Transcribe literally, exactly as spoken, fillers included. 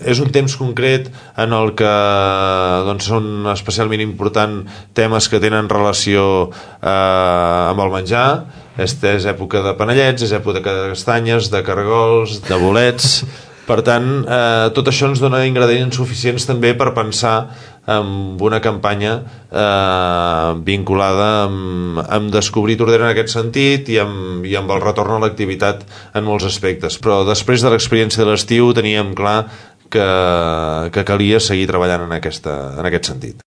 és un temps concret en el que doncs, són especialment importants temes que tenen relació eh, amb el menjar. Esta és època de panellets, és època de castanyes, de caragols, de bolets. Per tant, eh, tot això ens dona ingredients suficients també per pensar en una campanya eh, vinculada amb, amb descobrir Tordera en aquest sentit i amb, i amb el retorn a l'activitat en molts aspectes. Però després de l'experiència de l'estiu teníem clar que, que calia seguir treballant en, aquesta, en aquest sentit.